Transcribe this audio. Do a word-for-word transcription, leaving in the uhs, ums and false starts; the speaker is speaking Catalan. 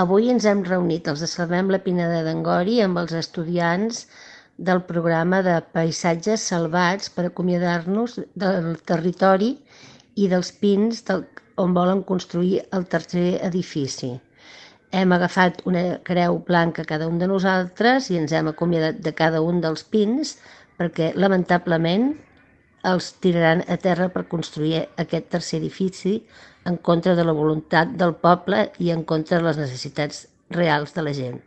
Avui ens hem reunit els de Salvem la Pineda d'Angori amb els estudiants del programa de Paisatges Salvats per acomiadar-nos del territori i dels pins del, on volen construir el tercer edifici. Hem agafat una creu blanca cada un de nosaltres i ens hem acomiadat de cada un dels pins perquè, lamentablement, els tiraran a terra per construir aquest tercer edifici en contra de la voluntat del poble i en contra de les necessitats reals de la gent.